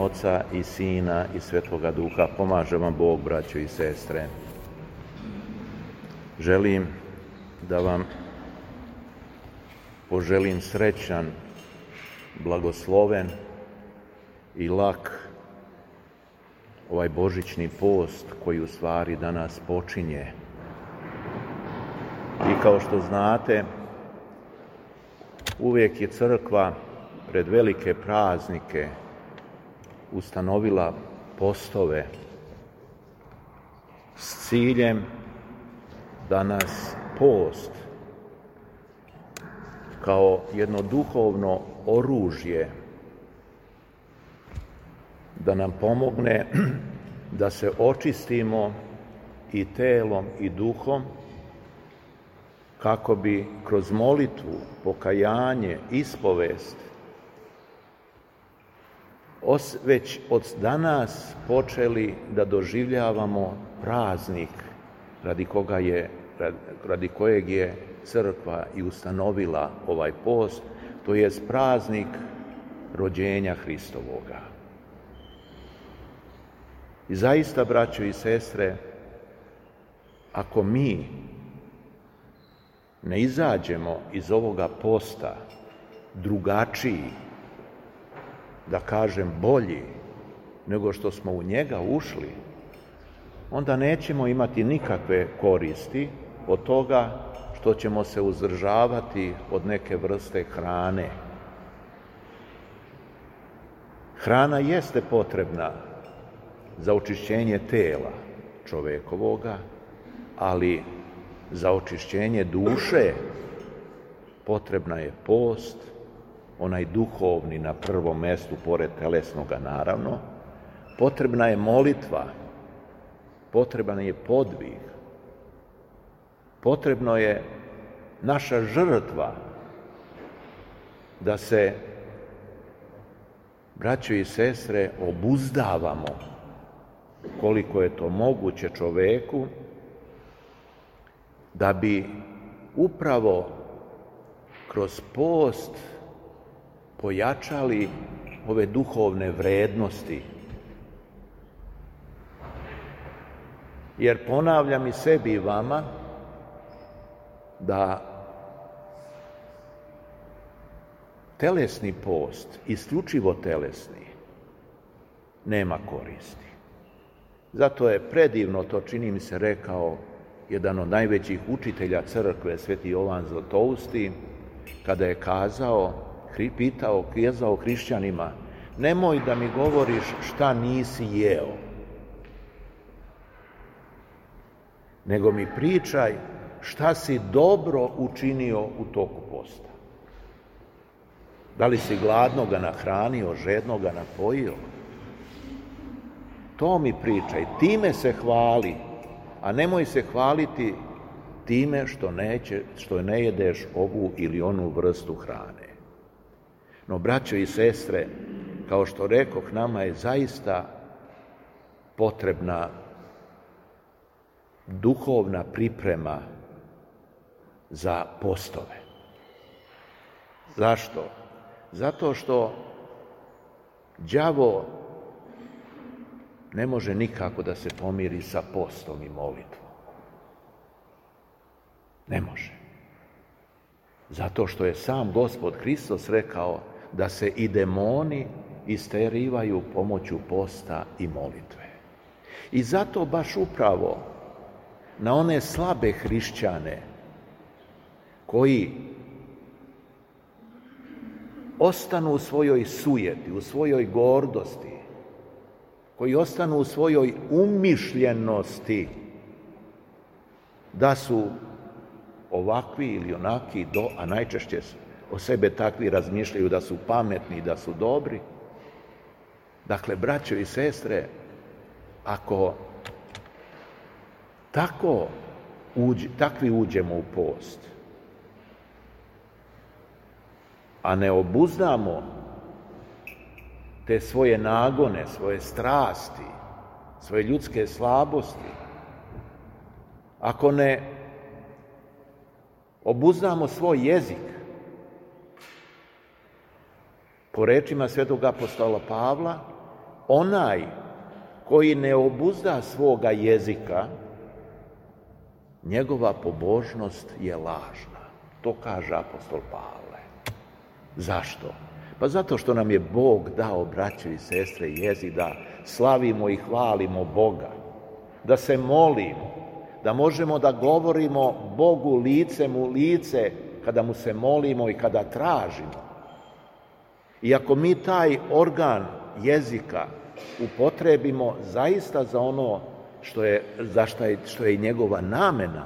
Oca i Sina i Svetoga Duha. Pomaže vam Bog, braćo i sestre. Želim da vam poželim srećan, blagosloven i lak ovaj božićni post koji u stvari danas počinje. I kao što znate, uvijek je crkva pred velike praznike ustanovila postove s ciljem da nas post kao jedno duhovno oružje da nam pomogne da se očistimo i telom i duhom, kako bi kroz molitvu, pokajanje, ispovest već od danas počeli da doživljavamo praznik radi kojeg je crkva i ustanovila ovaj post, to je praznik rođenja Hristovoga. I zaista, braćo i sestre, ako mi ne izađemo iz ovoga posta drugačiji, da kažem bolji, nego što smo u njega ušli, onda nećemo imati nikakve koristi od toga što ćemo se uzdržavati od neke vrste hrane. Hrana jeste potrebna za očišćenje tela čovekovoga, ali za očišćenje duše potrebna je post, onaj duhovni na prvom mjestu, pored telesnoga naravno, potrebna je molitva, potreban je podvig, potrebno je naša žrtva da se, braćo i sestre, obuzdavamo koliko je to moguće čoveku, da bi upravo kroz post pojačali ove duhovne vrednosti. Jer ponavljam i sebi i vama da telesni post, isključivo telesni, nema koristi. Zato je predivno, to čini mi se rekao jedan od najvećih učitelja crkve, Sveti Jovan Zlatousti, kada je kazao hrišćanima: nemoj da mi govoriš šta nisi jeo, nego mi pričaj šta si dobro učinio u toku posta. Da li si gladnoga nahranio, žednoga napojio? To mi pričaj, time se hvali, a nemoj se hvaliti time što ne jedeš ovu ili onu vrstu hrane. No, braćo i sestre, kao što rekoh, nama je zaista potrebna duhovna priprema za postove. Zašto? Zato što đavo ne može nikako da se pomiri sa postom i molitvom. Ne može. Zato što je sam Gospod Hristos rekao da se i demoni isterivaju pomoću posta i molitve. I zato baš upravo na one slabe hrišćane koji ostanu u svojoj sujeti, u svojoj gordosti, koji ostanu u svojoj umišljenosti da su ovakvi ili onaki, a najčešće o sebe takvi razmišljaju da su pametni i da su dobri. Dakle, braćo i sestre, ako takvi uđemo u post, a ne obuzdamo te svoje nagone, svoje strasti, svoje ljudske slabosti, ako ne obuzdamo svoj jezik, po rečima svetog apostola Pavla, onaj koji ne obuzda svoga jezika, njegova pobožnost je lažna. To kaže apostol Pavle. Zašto? Pa zato što nam je Bog dao, braćo i sestre, jezik da slavimo i hvalimo Boga, da se molimo, da možemo da govorimo Bogu licem u lice kada mu se molimo i kada tražimo. I ako mi taj organ jezika upotrebimo zaista za ono što je i njegova namena,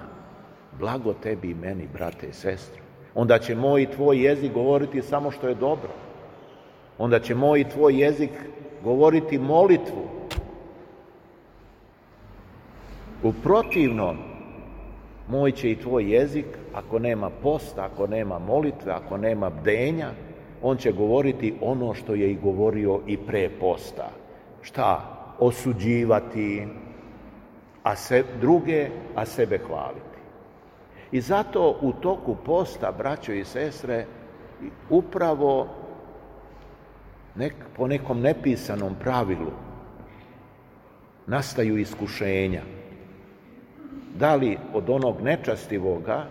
blago tebi i meni, brate i sestre. Onda će moj i tvoj jezik govoriti samo što je dobro. Onda će moj i tvoj jezik govoriti molitvu. U protivnom, moj će i tvoj jezik, ako nema posta, ako nema molitve, ako nema bdenja, on će govoriti ono što je i govorio i pre posta. Šta? Osuđivati druge, a sebe hvaliti. I zato u toku posta, braćo i sestre, upravo po nekom nepisanom pravilu nastaju iskušenja. Da li od onog nečastivoga,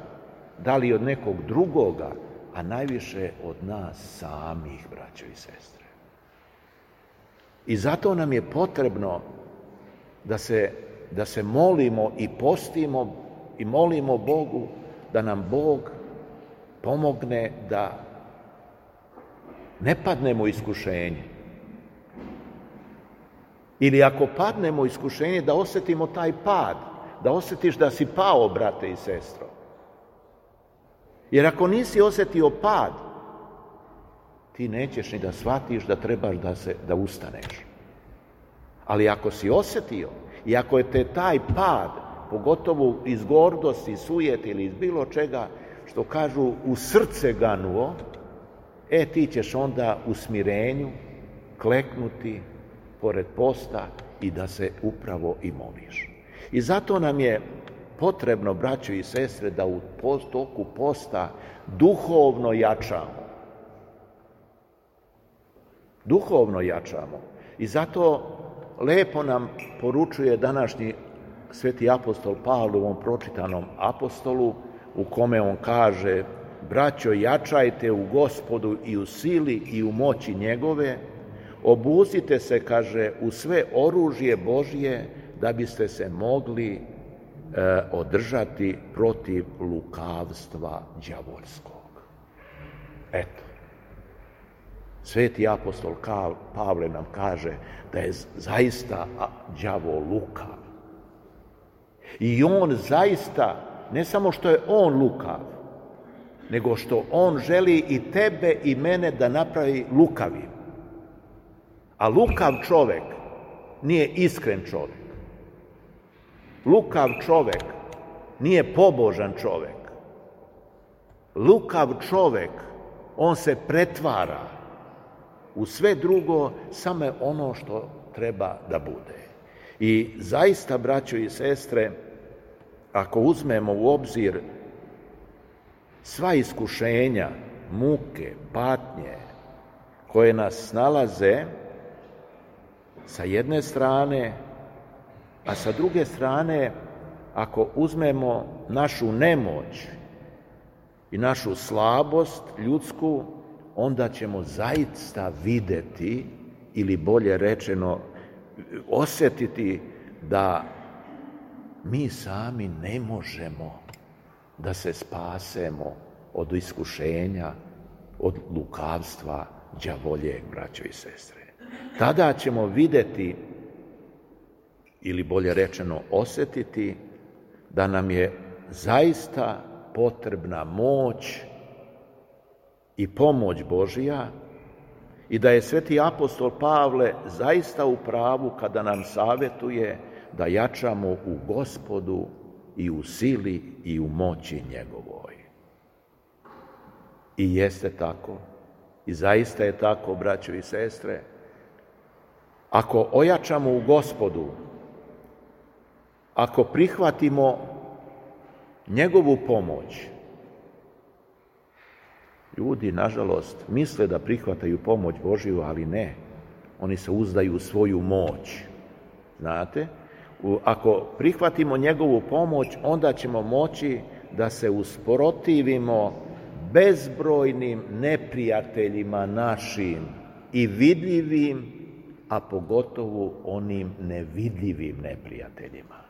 da li od nekog drugoga, a najviše od nas samih, braćo i sestre. I zato nam je potrebno da se molimo i postimo i molimo Bogu da nam Bog pomogne da ne padnemo u iskušenje. Ili ako padnemo u iskušenje, da osjetimo taj pad, da osjetiš da si pao, brate i sestro. Jer ako nisi osjetio pad, ti nećeš ni da shvatiš da trebaš da ustaneš. Ali ako si osjetio i ako je te taj pad, pogotovo iz gordosti, sujete ili iz bilo čega, što kažu u srce ganuo, ti ćeš onda u smirenju kleknuti pored posta i da se upravo i moliš. I zato nam je potrebno, braćo i sestre, da u toku posta duhovno jačamo. Duhovno jačamo. I zato lepo nam poručuje današnji sveti apostol Pavle u ovom pročitanom apostolu, u kome on kaže: braćo, jačajte u Gospodu i u sili i u moći njegove, obuzite se, kaže, u sve oružje Božje, da biste se mogli održati protiv lukavstva đavolskog. Eto, sveti apostol Pavle nam kaže da je zaista đavol lukav. I on zaista, ne samo što je on lukav, nego što on želi i tebe i mene da napravi lukavim. A lukav čovek nije iskren čovek. Lukav čovek nije pobožan čovek. Lukav čovek, on se pretvara u sve drugo, samo ono što treba da bude. I zaista, braćo i sestre, ako uzmemo u obzir sva iskušenja, muke, patnje koje nas nalaze sa jedne strane, a sa druge strane, ako uzmemo našu nemoć i našu slabost ljudsku, onda ćemo zaista videti, ili bolje rečeno osjetiti, da mi sami ne možemo da se spasemo od iskušenja, od lukavstva đavoljeg, braćo i sestre. Tada ćemo videti, ili bolje rečeno osjetiti, da nam je zaista potrebna moć i pomoć Božja i da je sveti apostol Pavle zaista u pravu kada nam savjetuje da jačamo u Gospodu i u sili i u moći njegovoj. I jeste tako, i zaista je tako, braćo i sestre. Ako ojačamo u Gospodu, ako prihvatimo njegovu pomoć, ljudi, nažalost, misle da prihvataju pomoć Božju, ali ne. Oni se uzdaju u svoju moć. Znate? Ako prihvatimo njegovu pomoć, onda ćemo moći da se usprotivimo bezbrojnim neprijateljima našim i vidljivim, a pogotovo onim nevidljivim neprijateljima.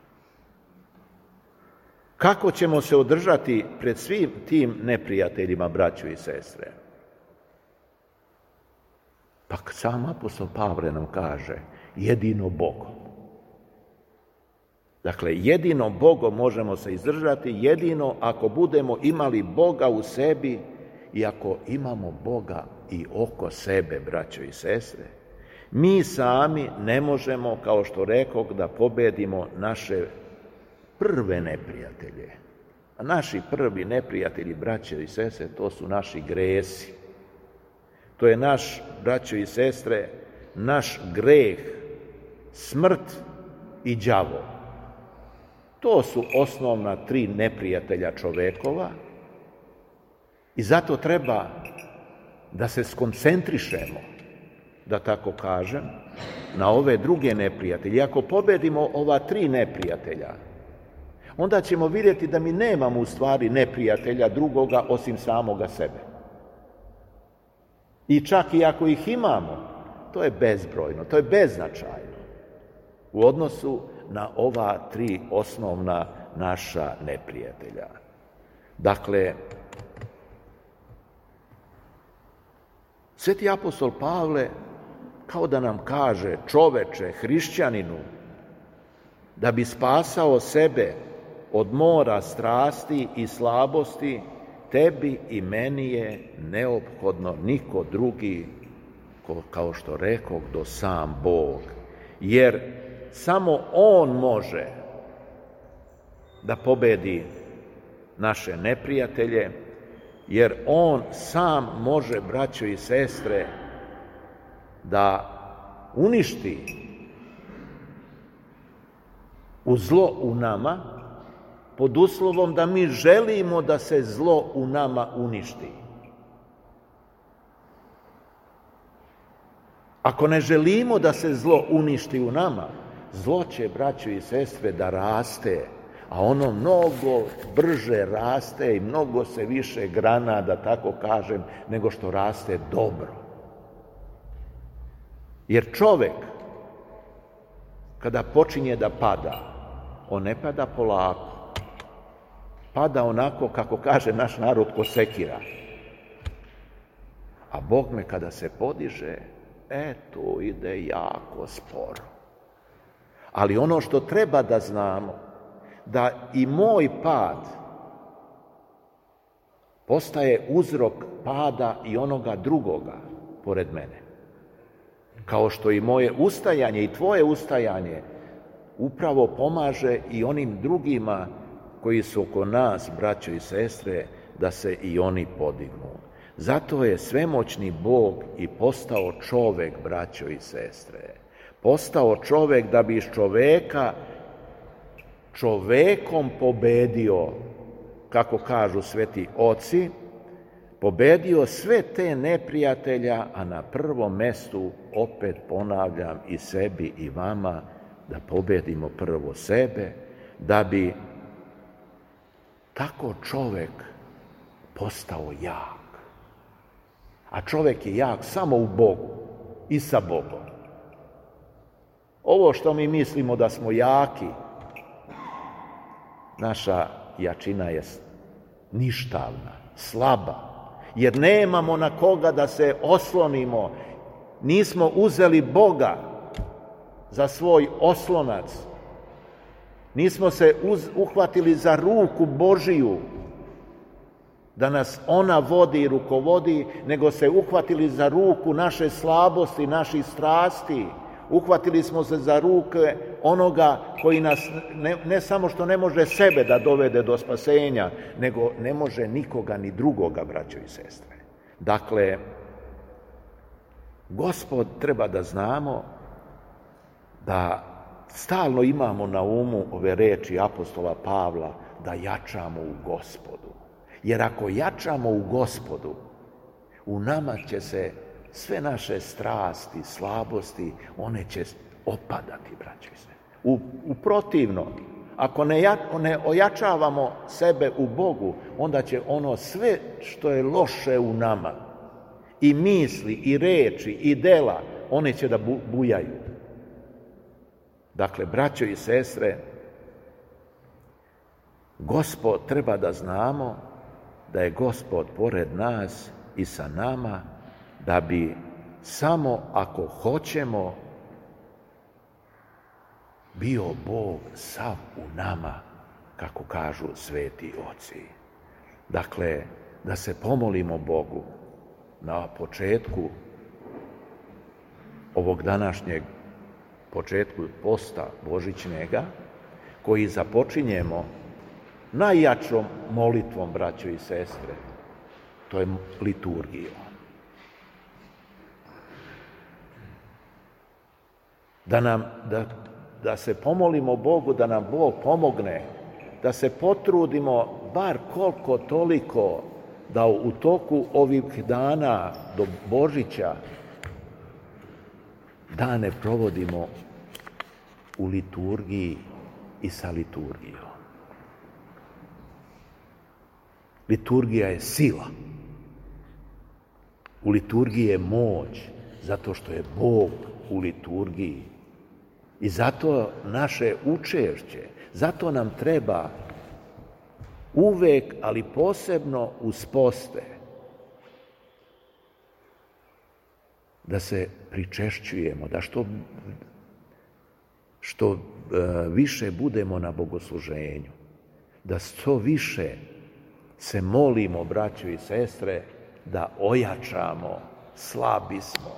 Kako ćemo se održati pred svim tim neprijateljima, braćo i sestre? Pa sam apostol Pavle nam kaže, jedino Bogom. Dakle, jedino Bogom možemo se izdržati, jedino ako budemo imali Boga u sebi i ako imamo Boga i oko sebe, braćo i sestre. Mi sami ne možemo, kao što rekoh, da pobedimo naše prve neprijatelje. A naši prvi neprijatelji, braćo i sestre, to su naši gresi. To je naš, braćo i sestre, naš greh, smrt i đavo. To su osnovna 3 neprijatelja čovekova i zato treba da se skoncentrišemo, da tako kažem, na ove druge neprijatelje. Ako pobedimo ova 3 neprijatelja, onda ćemo vidjeti da mi nemamo u stvari neprijatelja drugoga osim samoga sebe. I čak i ako ih imamo, to je bezbrojno, to je beznačajno u odnosu na ova 3 osnovna naša neprijatelja. Dakle, sveti apostol Pavle kao da nam kaže, čoveče, hrišćaninu, da bi spasao sebe od mora strasti i slabosti, tebi i meni je neophodno niko drugi, kao što rekoh, do sam Bog. Jer samo On može da pobedi naše neprijatelje, jer On sam može, braćo i sestre, da uništi u zlo u nama, pod uslovom da mi želimo da se zlo u nama uništi. Ako ne želimo da se zlo uništi u nama, zlo će, braćo i sestre, da raste, a ono mnogo brže raste i mnogo se više grana, da tako kažem, nego što raste dobro. Jer čovek, kada počinje da pada, on ne pada polako. Pada onako, kako kaže naš narod, ko sekira. A Bogme kada se podiže, to ide jako sporo. Ali ono što treba da znamo, da i moj pad postaje uzrok pada i onoga drugoga pored mene. Kao što i moje ustajanje i tvoje ustajanje upravo pomaže i onim drugima koji su oko nas, braćo i sestre, da se i oni podignu. Zato je svemoćni Bog i postao čovek, braćo i sestre. Postao čovek da bi iz čoveka čovekom pobedio, kako kažu sveti oci, pobedio sve te neprijatelja, a na prvom mestu, opet ponavljam, i sebi i vama, da pobedimo prvo sebe, da bi tako čovek postao jak. A čovek je jak samo u Bogu i sa Bogom. Ovo što mi mislimo da smo jaki, naša jačina je ništavna, slaba, jer nemamo na koga da se oslonimo. Nismo uzeli Boga za svoj oslonac. Nismo se uhvatili za ruku Božiju, da nas ona vodi i rukovodi, nego se uhvatili za ruku naše slabosti, naših strasti. Uhvatili smo se za ruke onoga koji nas ne samo što ne može sebe da dovede do spasenja, nego ne može nikoga ni drugoga, braćo i sestre. Dakle, Gospod, treba da znamo da stalno imamo na umu ove reči apostola Pavla, da jačamo u Gospodu. Jer ako jačamo u Gospodu, u nama će se sve naše strasti, slabosti, one će opadati, braćo i sestre. U protivno, ako ne ojačavamo sebe u Bogu, onda će ono sve što je loše u nama, i misli, i reči, i dela, one će da bujaju. Dakle, braćo i sestre, Gospod, treba da znamo da je Gospod pored nas i sa nama, da bi samo ako hoćemo bio Bog sav u nama, kako kažu sveti oci. Dakle, da se pomolimo Bogu na početku ovog današnjeg početku posta božićnega, koji započinjemo najjačom molitvom, braćo i sestre, to je liturgija. Da se pomolimo Bogu, da nam Bog pomogne, da se potrudimo bar koliko toliko da u toku ovih dana do Božića dane provodimo u liturgiji i sa liturgijom. Liturgija je sila. U liturgiji je moć, zato što je Bog u liturgiji. I zato naše učešće, zato nam treba uvek, ali posebno uz poste, da se pričešćujemo, da što više budemo na bogosluženju, da što više se molimo, braćo i sestre, da ojačamo, slabi smo.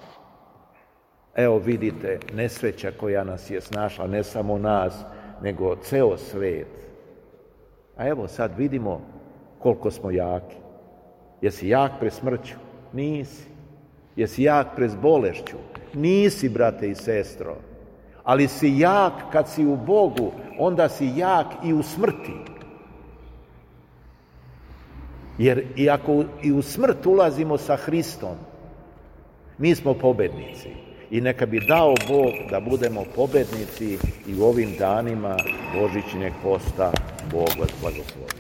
Evo vidite, nesreća koja nas je snašla, ne samo nas, nego ceo svet. A evo sad vidimo koliko smo jaki. Jesi jak pred smrću? Nisi. Jesi jak pred bolešću? Nisi, brate i sestro. Ali si jak kad si u Bogu, onda si jak i u smrti. Jer i ako i u smrt ulazimo sa Hristom, mi smo pobednici. I neka bi dao Bog da budemo pobednici i u ovim danima božićnjeg posta. Bog vas blagoslovi.